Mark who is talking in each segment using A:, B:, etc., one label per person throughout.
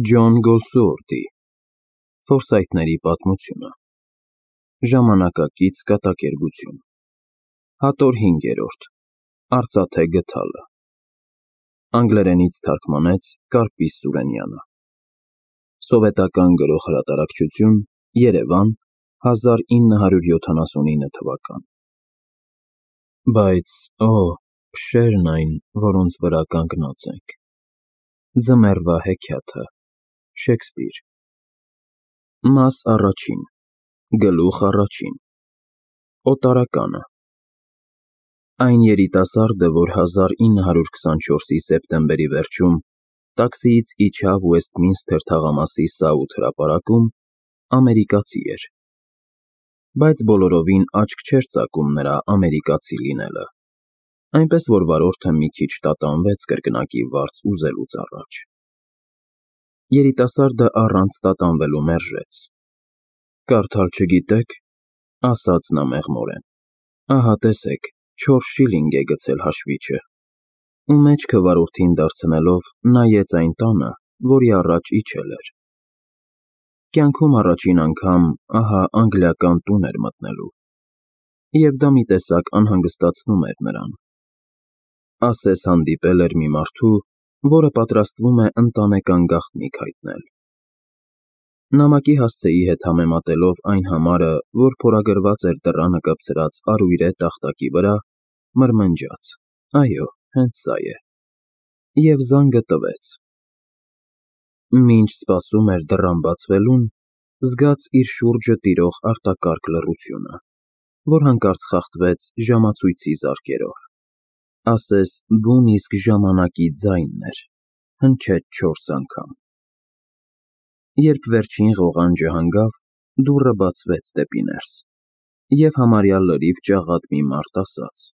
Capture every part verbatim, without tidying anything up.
A: Ջոն Գոլսուորթի Ֆորսայթների պատմությունը Ժամանակակից կատակերգություն Հատոր հինգերորդ Արծաթե գդալը Անգլերենից թարգմանեց Կարպիս Սուրենյանը Սովետական Գրող հրատարակչություն Երևան հազար ինը հարյուր յոթանասունինը թվական Բայց, օ, փշերն այն, որոնց վրա կանգնած ենք, ձմեռվա հեքիաթը, Շեքսպիր Մաս առաջին, գլուխ առաջին, Օտարականը Այն երիտասարդը, որ հազար ինը հարյուր քսանչորսի սեպտեմբերի վերջում տաքսիից իջավ Ուեսթմինսթեր թաղամասի Սաութ հրապարակում, ամերիկացի էր, բայց բոլորովին աչք չէր ծակում նրա ամերիկացի լինելը, այնպես որ վարորդը մի քիչ տատանվեց կրկնակի վարձ ուզելուց առաջ։ Երիտասարդը առանց տատանվելու մերժեց. Կարդալ չգիտեք, ասաց նա մեղմորեն, ահա տեսեք, չորս շիլինգ է գցել հաշվիչը, ու մեջքը վարորդին դարձնելով նայեց այն տանը, որի առաջ իջել էր։ Կյանքում առաջին անգամ ահա անգլիական տուն էր մտնելու, և դա մի տեսակ անհանգստացնում էր նրան։ Ասես հանդիպել էր մի մարդու, որը պատրաստվում է ընտանեկան գաղտնիք հայտնել։ Նամակի հասցեի հետ համեմատելով այն համարը, որ փորագրված էր դռանը կպցրած արույրե տախտակի վրա, մրմնջաց. այո, հենց սա է, և զանգը տվեց։ Մինչ սպասում էր դռան բացվելուն, զգաց իր շուրջը տիրող արտակարգ լռությունը, որ հանկարծ խախտվեց ժամացույցի զարկերով, ասես բուն իսկ ժամանակի ձայնն էր, հնչեց չորս անգամ։ Երբ վերջին ղողանջը հանգավ, դուռը բացվեց դեպի ներս, և համարյա լրիվ ճաղատ մի մարդ ասաց.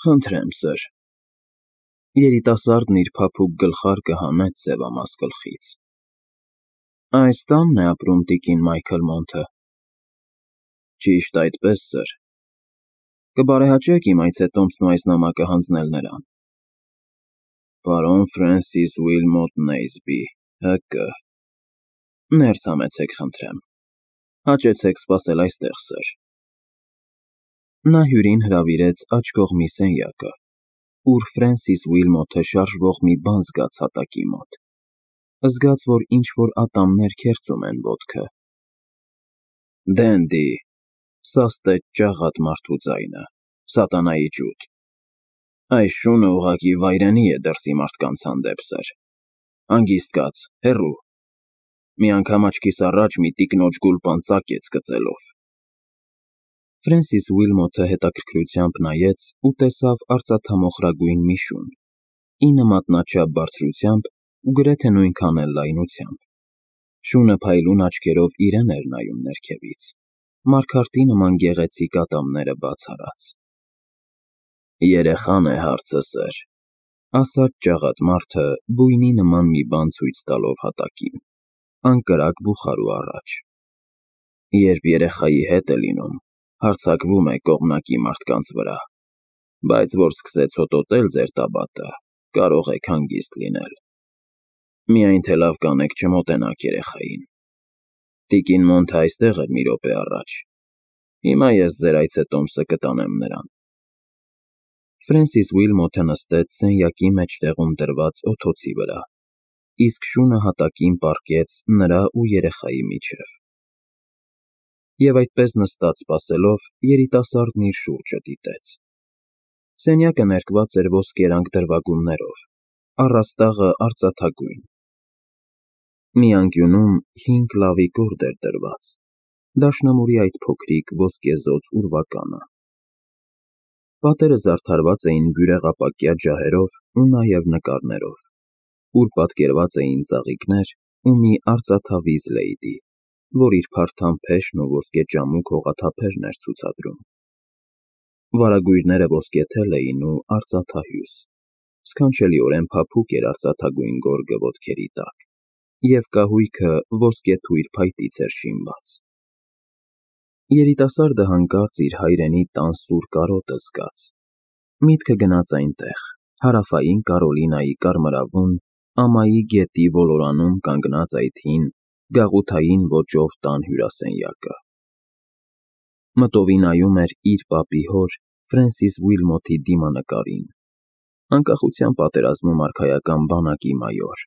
A: Խնդրեմ, սըր։ Երիտասարդն իր փափուկ գլխարկը հանեց սևամաս գլխից։ Այս տա՞նն է ապրում տիկին Մայքլ Մոնթը։ Ճիշտ այդպես, սըր։ Կբարեհաճեք իմ այցետոմսն ու այս նամակը հանձնել նրան։ Պարոն Ֆրենսիս Ուիլմոտ Նեյսբի, հը.կը. Ներս համեցեք, խնդրեմ։ Հաճեցեք սպասել այստեղ, սըր։ Նա հյուրին հրավիրեց աջ կողմի սենյակը, ուր Ֆրենսիս Ուիլմոթը շարժվող մի բան զգաց հատակի մոտ, զգաց, որ ինչ-որ ատամներ քերծում են ոտքը։ Դենդի, սաստեց ճաղատ մարդու ձայնը, սատանայի ջութ։ Այս շունը ուղղակի վայրենի է դրսի մարդկանց հանդեպ, սըր։ Հանգիստ կաց, հեռու։ Մի անգամ աչքիս առաջ մի տիկնոջ գուլպան ծակեց կծելով։ Ֆրենսիս Ուիլմոթը հետաքրքրությամբ նայեց ու տեսավ արծաթամոխրագույն մի շուն, ինը մատնաչափ բարձրությամբ ու գրեթե նույնքան էլ լայնությամբ։ Շունը փայլուն աչքերով իրեն էր նայում ներքևից, մարգարտի նման գեղեցիկ ատամները բաց արած։ Երեխան է հարցը, սըր, ասաց ճաղատ մարդը բույնի նման մի բան ցույց տալով հատակին, անկրակ բուխարու առաջ։ Երբ երեխայի հետ է լինում, հարձակվում է կողմնակի մարդկանց վրա, բայց որ սկսեց հոտոտել ձեր տաբատը, կարող եք հանգիստ լինել։ Միայն թե լավ կանեք չմոտենաք երեխային։ Տիկին Մոնթը այստեղ էր մի րոպե առաջ։ Հիմա ես ձեր այցետոմսը կտանեմ նրան։ Ֆրենսիս Ուիլմոթը նստեց սենյակի մեջտեղում դրված օթոցի վրա, իսկ շունը հատակին պառկեց նրա ու երեխայի միջև։ Եվ այդպես նստած սպասելով, երիտասարդն իր շուրջը դիտեց։ Սենյակը ներկված էր ոսկերանգ դրվագումներով, առաստաղը արծաթագույն։ Մի անկյունում հինգ լավի գորգ էր դրված, դաշնամուրի այդ փոքրիկ ոսկեզօծ ուրվականը։ Պատերը զարդարված էին բյուրեղապակյա ջահերով ու նաև նկարներով, ուր պատկերված էին ծաղիկներ ու մի արծաթավիզ լեյդի, որ իր փարթամ փեշն ու ոսկեճամուկ հողաթափերն էր ցուցադրում։ Վարագույրները ոսկեթել էին ու արծաթահյուս, սքանչելիորեն փափուկ էր արծաթագույն գորգը ոտքերի տակ, և կահույքը ոսկեթույր փայտից էր շինված։ Երիտասարդը հանկարծ իր հայրենի տան սուր կարոտը զգաց։ Միտքը գնաց այնտեղ, հարավային Կարոլինայի կարմրավուն, ամայի գետի ոլորանում կանգնած այդ հին, գաղութային ոճով տան հյուրասենյակը։ Մտովի նայում էր իր պապի հոր Ֆրենսիս Ուիլմոթի դիմանկարին, անկախության պատերազմում արքայական բանակի մայոր,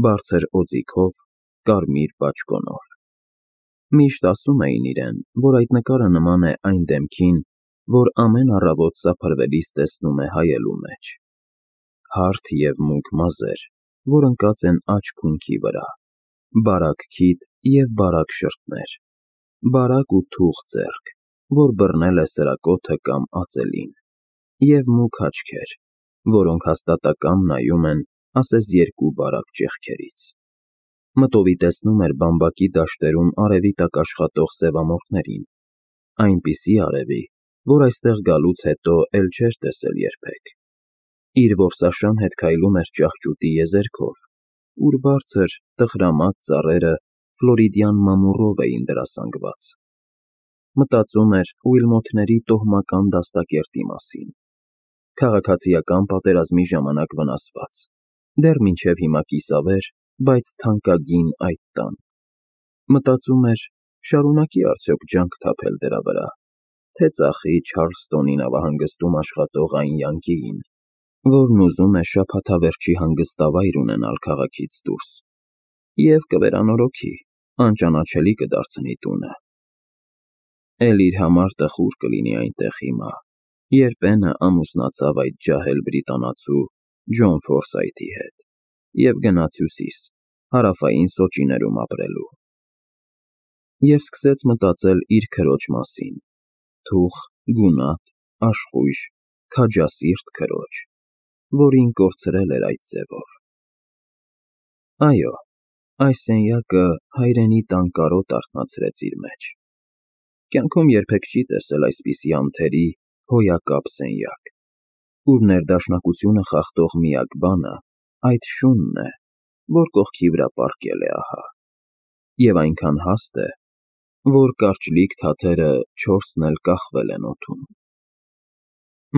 A: բարձր օձիքով, կարմիր բաճկոնով։ Միշտ ասում էին իրեն, որ այդ նկարը նման է այն դեմքին, որ ամեն առավոտ սափրվելիս տեսնում է հայելու մեջ. հարթ և մուգ մազեր, որ ընկած են աջ քունքի վրա, բարակ քիթ և բարակ շրթներ, բարակ ու թուխ ձեռք, որ բռնել է սրակոթը կամ ածելին, և մուգ աչքեր, որոնք հաստատակամ նայում են ասես երկու բարակ ճեղքերից։ Մտովի տեսնում էր բամբակի դաշտերում արևի տակ աշխատող սևամորթներին, այնպիսի արևի, որ այստեղ գալուց հետո էլ չէր տեսել երբեք։ Իր որսաշան հետ քայլում էր ճահճուտի եզերքով, ուր բարձր, տխրամատ ծառերը ֆլորիդյան մամուռով էին դրասանգված։ Մտածում էր Ուիլմոթների տոհմական դաստակերտի մասին, քաղաքացիական պատերազմի ժամանակ վնասված, դեռ մինչև հիմա կիսավեր, բայց թանկագին այդ տան։ Մտածում էր, շարունակի արդյոք ջանք թափել դրա վրա, թե ծախի Չարլստոնի նավահանգստում աշխատող այն յանկիին, որն ուզում է շաբաթավերջի հանգստավայր ունենալ քաղաքից դուրս, և կվերանորոգի, անճանաչելի կդարձնի տունը։ Էլ իր համար տխուր կլինի այնտեղ հիմա, երբ Էնը ամուսնացավ այդ ջահել բրիտանացու Ջոն Ֆորսայթի հետ և գնաց Հյուսիս, Հարավային Սոճիներում ապրելու։ Եվ սկսեց մտածել իր քրոջ մասին, թուխ, գունատ, աշխույժ, քաջասիրտ քրոջ, որին կորցրել էր այդ ձևով։ Այո, այս սենյակը հայրենի տան կարոտ արթնացրեց իր մեջ։ Կյանքում երբեք չի տեսել այսպիսի անթերի, հոյակապ սենյակ, ուր ներդաշնակությունը խախտող միակ բանը այդ շունն է, որ կողքի վրա պառկել է ահա, և այնքան հաստ է, որ կարճլիկ թաթերը չորսն էլ կախվել են օդում։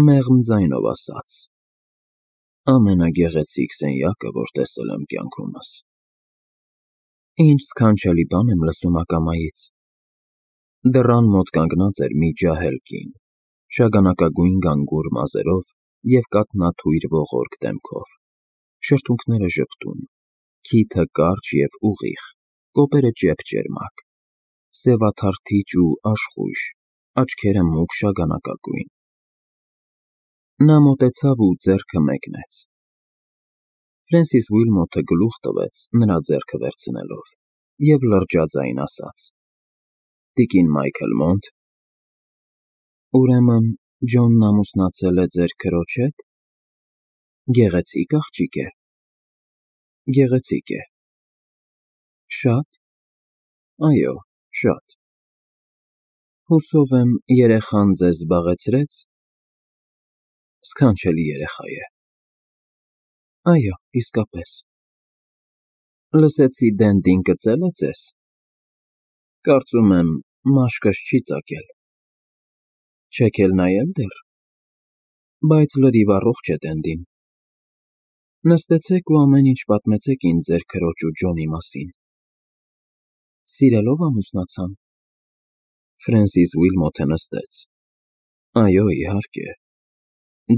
A: Մեղմ ձայնով ասաց. ամենագեղեցիկ սենյակը, որ տեսել եմ կյանքումս։ Ինչ սքանչելի բան եմ լսում ակամայից։ Դռան մոտ կանգնած էր մի ջահել կին, շագանակագույն գանգուր մազերով և կաթնաթույր ողորկ դեմքով, շրթունքները ժպտուն, քիթը կարճ և ուղիղ, կոպերը ճեպճերմակ, սևաթարթիճ ու աշխույժ, աչքերը մուգ շագանակագույն։ Նա մոտեցավ ու ձեռքը մեկնեց։ Ֆրենսիս Ուիլմոթը գլուխ տվեց նրա ձեռքը վերցնելով և լրջաձայն ասաց. Տիկին Մայքլ Մոնտ։ Ուրեմն Ջոնն ամուսնացել է ձեր քրոջ հետ։ Գեղեցիկ աղջիկ է։ Գեղեցիկ է։ Շա՞տ։ Այո, շատ։ Հուսով եմ, երեխան ձեզ զբաղեցրե՞ց։ Սքանչելի երեխա է։ Այո, իսկապես։ Լսեցի Դենդին կծել է ձեզ։ Կարծում եմ, մաշկս չի ծակել։ Չեք էլ նայել դեռ։ Բայց լրիվ առողջ է Դենդին։ Նստեցեք ու ամեն ինչ պատմեցեք ինձ ձեր քրոջ ու Ջոնի մասին։ Սիրելով ամուսնացան։ Ֆրենսիս Ուիլմոթը նստեց։ Այո, իհարկե։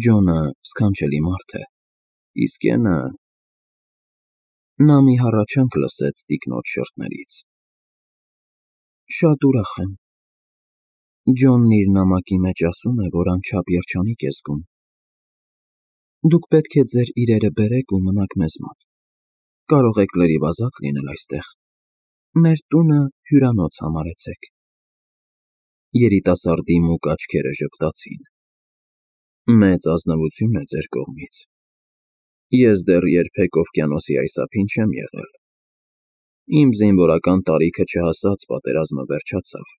A: Ջոնը սքանչելի մարդ է, իսկ Էնը… Նա մի հառաչանք լսեց տիկնոջ շրթներից։ Շատ ուրախ եմ։ Ջոնն իր նամակի մեջ ասում է, որ անչափ երջանիկ է զգում։ Դուք պետք է ձեր իրերը բերեք ու մնաք մեզ մոտ։ Կարող եք լրիվ ազատ լինել այստեղ։ Մեր տունը հյուրանոց համարեցեք։ Երիտասարդի մուգ աչքերը ժպտացին։ Մեծ ազնվություն է ձեր կողմից։ Ես դեռ երբեք օվկիանոսի այս ափին չեմ եղել։ Իմ զինվորական տարիքը չհասած պատերազմը վերջացավ։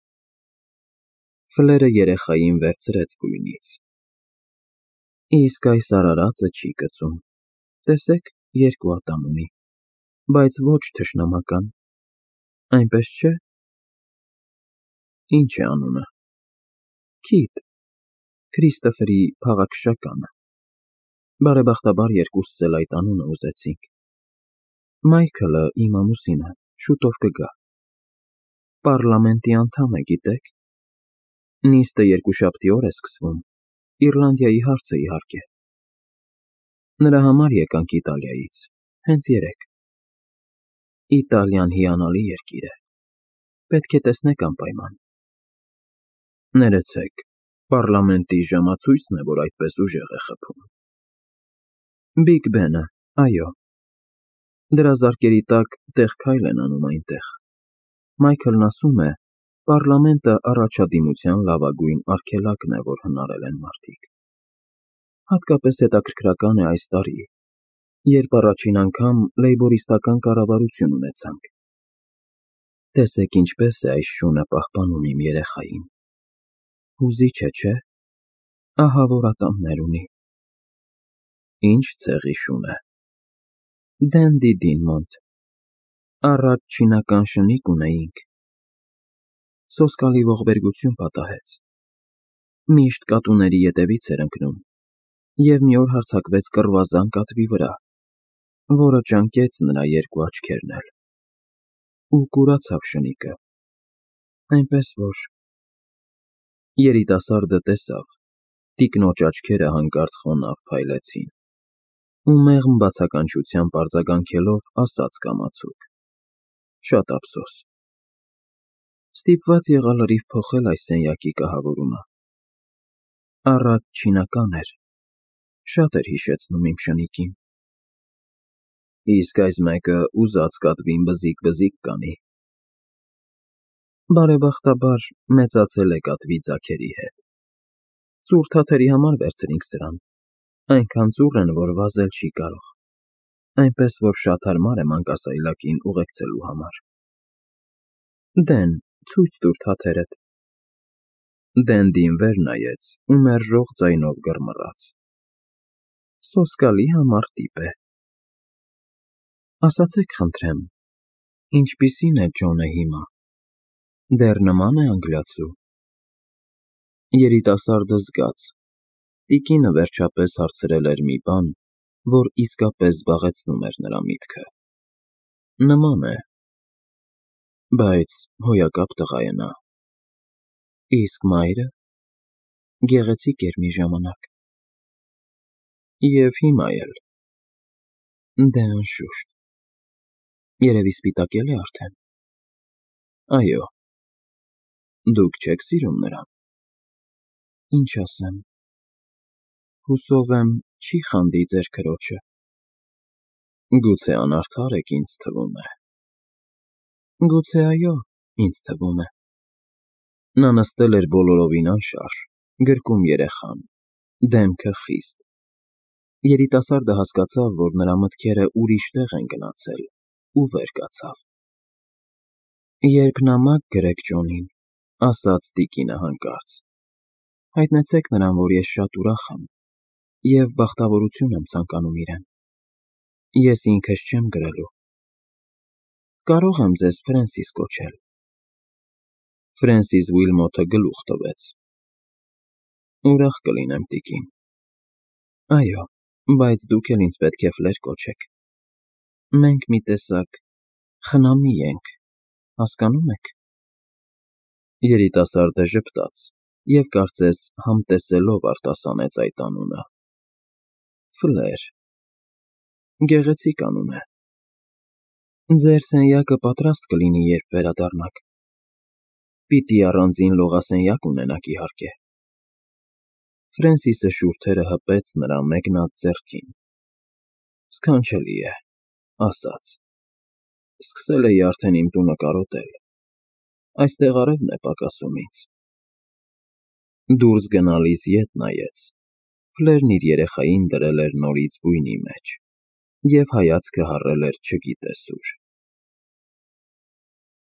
A: Ֆլերը երեխային վերցրեց գույնից։ Իսկ այս արարածը չի կծում։ Տեսեք, երկու ատամ ունի, բայց ոչ թշնամական։ Այնպես չէ։ Ինչ է անունը։ Քիթ, Քրիստոֆերի փաղաքշականը։ Բարեբախտաբար երկուսս էլ այդ անունը ուզեցինք։ Մայքլը իմ ամուսինը շուտով կգա։ Պառլամենտի անդամ է, գիտեք։ Նիստը երկուշաբթի օր է սկսվում, Իռլանդիայի հարցը իհարկե։ Նրա համար եկանք Իտալիայից, հենց երեկ։ Իտալիան հիանալի երկիր է, պետք է տեսնեք անպայման։ Ներեցեք, պառլամենտի ժամացույցն է, որ այդպես ուժեղ է խփում։ Բիգ Բենը, այո։ Դրա զարկերի տակ տեղ-քայլ են անում այնտեղ։ Մայքլն ասում է, պառլամենտը առաջադիմության լավագույն արգելակն է, որ հնարել են մարդիկ։ Հատկապես հետաքրքրական է այս տարի, երբ առաջին անգամ լեյբորիստական կառավարություն ունեցանք։ Տեսեք ինչպես է այս շունը պահպանում իմ երեխային։ Հուզիչ է, չէ՞։ Ահա որ ատամներ ունի։ Ինչ ցեղի շուն է։ Դենդի Դինմոնտ։ Առաջ չինական շնիկ ունեինք։ Սոսկալի ողբերգություն պատահեց։ Միշտ կատուների ետևից էր ընկնում, և մի օր հարձակվեց կռվազան կատվի վրա, որը ճանկեց նրա երկու աչքերն էլ, ու կուրացավ շնիկը, այնպես որ… Երիտասարդը տեսավ, տիկնոջ աչքերը հանկարծ խոնավ փայլեցին, ու մեղմ բացականչությամբ արձագանքելով ասաց կամացուկ. շատ ափսոս։ Ստիպված եղա լրիվ փոխել այս սենյակի կահավորումը։ Առաջ չինական էր, շատ էր հիշեցնում իմ շնիկին։ Իսկ այս մեկը ուզած կատվին բզիկ-բզիկ կանի։ Բարեբախտաբար, մեծացել է կատվի ձագերի հետ։ Ծուռ թաթերի համար վերցրինք սրան, այնքան ծուռ են, որ վազել չի կարող, այնպես որ շատ հարմար է մանկասայլակին ուղեկցելու համար։ Դեն, ցույց տուր թաթերդ։ Դենդին վեր նայեց ու մերժող ձայնով գռմռաց. Սոսկալի համառ տիպ է։ Ասացեք խնդրեմ, ինչպիսի՞ն է Ջոնը հիմա։ Դեռ նման է անգլիացու։ Երիտասարդը զգաց. տիկինը վերջապես հարցրել էր մի բան, որ իսկապես զբաղեցնում էր նրա միտքը։ Նման է։ Բայց հոյակապ տղա է նա։ Իսկ մայրը… Գեղեցիկ էր մի ժամանակ։ Եվ հիմա էլ։ Դե անշուշտ։ Երևի սպիտակել է արդեն։ Այո։ Դուք չեք սիրում նրան։ Ինչ ասեմ… Հուսով եմ, չի խանդի ձեր քրոջը։ Գուցե անարդար եք, ինձ թվում է։ Գուցե այո, ինձ թվում է։ Նա նստել էր բոլորովին անշարժ, գրկում երեխան, դեմքը խիստ։ Երիտասարդը հասկացավ, որ նրա մտքերը ուրիշ տեղ են գնացել, ու վեր կացավ։ Երբ նամակ գրեք Ջոնին, ասաց տիկինը հանկարծ, հայտնեցեք նրան, որ ես շատ ուրախ եմ և բախտավորություն եմ ցանկանում իրեն։ Ես ինքս չեմ գրելու։ Կարող եմ ձեզ Ֆրենսիս կոչել։ Ֆրենսիս Ուիլմոթը գլուխ տվեց։ Ուրախ կլինեմ, տիկին։ Այո, բայց դուք էլ ինձ պետք է Ֆլեր կոչեք։ Մենք մի տեսակ խնամի ենք, հասկանո՞ւմ եք։ Երիտասարդը ժպտաց և կարծես համտեսելով արտասանեց այդ անունը։ Ֆլեր… Գեղեցիկ անուն է։ Ձեր սենյակը պատրաստ կլինի, երբ վերադառնաք։ Պիտի առանձին լողասենյակ ունենաք, իհարկե։ Ֆրենսիսը շուրթերը հպեց նրա մեկնած ձեռքին։ Սքանչելի է, ասաց. Սկսել էի արդեն իմ տունը կարոտել։ Այստեղ արևն է պակասում ինձ։ Դուրս գնալիս ետ նայեց։ Ֆլերն իր երեխային դրել էր նորից բույնի մեջ և հայացքը հառել էր չգիտես ուր։